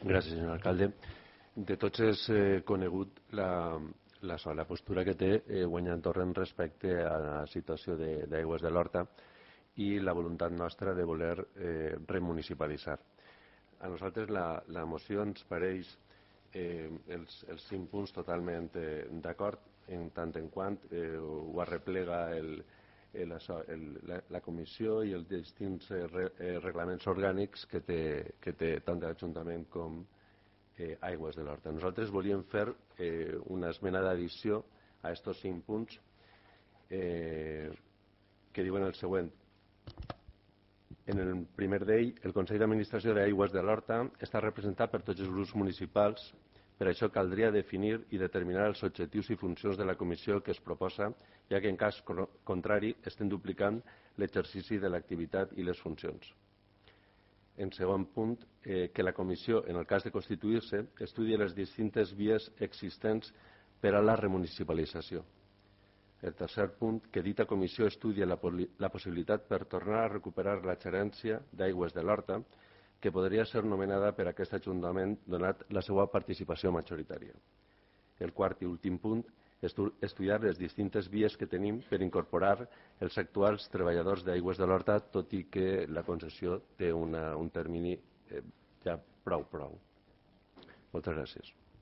Gràcies, senyor alcalde. De tots és conegut la postura que té Guanyant Torrent respecte a la situació d'Aigües de l'Horta i la voluntat nostra de voler remunicipalitzar. A nosaltres la moció ens pareix els 5 punts totalment d'acord, en tant en quant ho arreplega la comissió i els distints reglaments orgànics que té tant l'Ajuntament com Aigües de l'Horta. Nosaltres volíem fer una esmena d'addició a aquests 5 punts que diuen el següent. En el primer d'ell, el Consell d'Administració d'Aigües de l'Horta està representat per tots els grups municipals. Per això caldria definir i determinar els objectius i funcions de la comissió que es proposa, ja que en cas contrari estem duplicant l'exercici de l'activitat i les funcions. En segon punt, que la comissió, en el cas de constituir-se, estudi les distintes vies existents per a la remunicipalització. El tercer punt, que dita comissió estudi la possibilitat per tornar a recuperar la gerència d'Aigües de l'Horta, que podria ser nomenada per aquest Ajuntament donat la seva participació majoritària. El quart i últim punt, estudiar les distintes vies que tenim per incorporar els actuals treballadors d'Aigües de l'Horta, tot i que la concessió té un termini ja prou. Moltes gràcies.